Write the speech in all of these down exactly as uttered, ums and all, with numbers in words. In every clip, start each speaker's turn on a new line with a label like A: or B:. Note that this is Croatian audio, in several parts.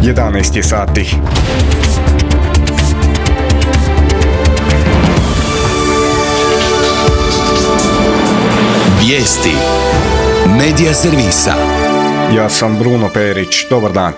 A: jedanaest je sati.
B: Vijesti Medija servisa.
A: Ja sam Bruno Perić, dobar dan.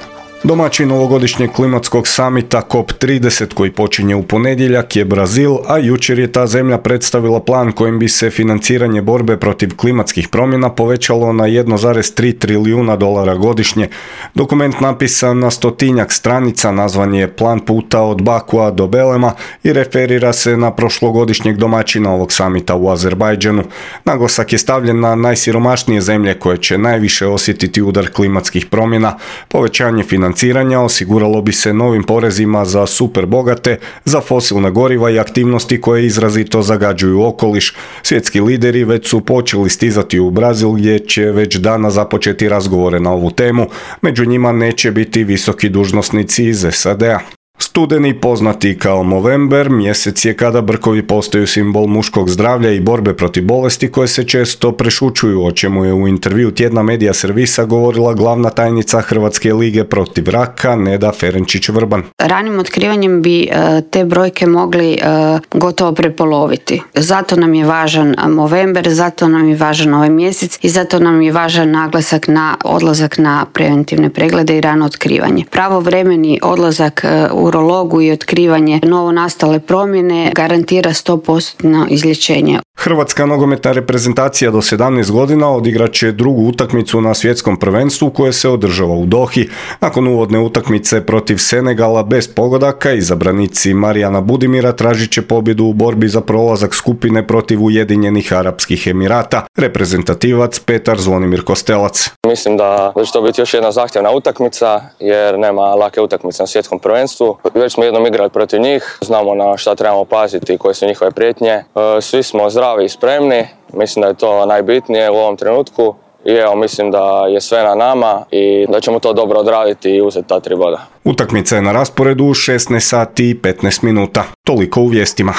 A: Domaćin ovogodišnjeg klimatskog samita C O P trideset koji počinje u ponedjeljak je Brazil, a jučer je ta zemlja predstavila plan kojim bi se financiranje borbe protiv klimatskih promjena povećalo na jedan zarez tri trilijuna dolara godišnje. Dokument napisan na stotinjak stranica nazvan je Plan puta od Bakua do Belema i referira se na prošlogodišnjeg domaćina ovog samita u Azerbajdžanu. Naglasak je stavljen na najsiromašnije zemlje koje će najviše osjetiti udar klimatskih promjena. Povećanje financiranja Financiranja osiguralo bi se novim porezima za super bogate, za fosilna goriva i aktivnosti koje izrazito zagađuju okoliš. Svjetski lideri već su počeli stizati u Brazil gdje će već danas započeti razgovore na ovu temu. Među njima neće biti visoki dužnosnici iz S A D-a. Studeni, poznati kao Movember, mjesec je kada brkovi postaju simbol muškog zdravlja i borbe protiv bolesti koje se često prešućuju, o čemu je u intervju tjedna Medija servisa govorila glavna tajnica Hrvatske lige protiv raka Neda Ferenčić-Vrban.
C: Ranim otkrivanjem bi te brojke mogli gotovo prepoloviti. Zato nam je važan Movember, zato nam je važan ovaj mjesec i zato nam je važan naglasak na odlazak na preventivne preglede i rano otkrivanje. Pravovremeni odlazak u urologu i otkrivanje novonastale promjene garantira sto posto izlječenje.
A: Hrvatska nogometna reprezentacija do sedamnaest godina odigrat će drugu utakmicu na svjetskom prvenstvu koje se održava u Dohi. Nakon uvodne utakmice protiv Senegala bez pogodaka, izabranici Marijana Budimira tražit će pobjedu u borbi za prolazak skupine protiv Ujedinjenih Arapskih Emirata. Reprezentativac Petar Zvonimir Kostelac.
D: Mislim da će to biti još jedna zahtjevna utakmica jer nema lake utakmice na svjetskom prvenstvu. Već smo jednom igrali protiv njih, znamo na šta trebamo paziti i koje su njihove prijetnje. Svi smo zdravi i spremni, mislim da je to najbitnije u ovom trenutku i evo mislim da je sve na nama i da ćemo to dobro odraditi i uzeti ta tri boda.
A: Utakmica je na rasporedu u šesnaest sati i petnaest minuta. Toliko u vijestima.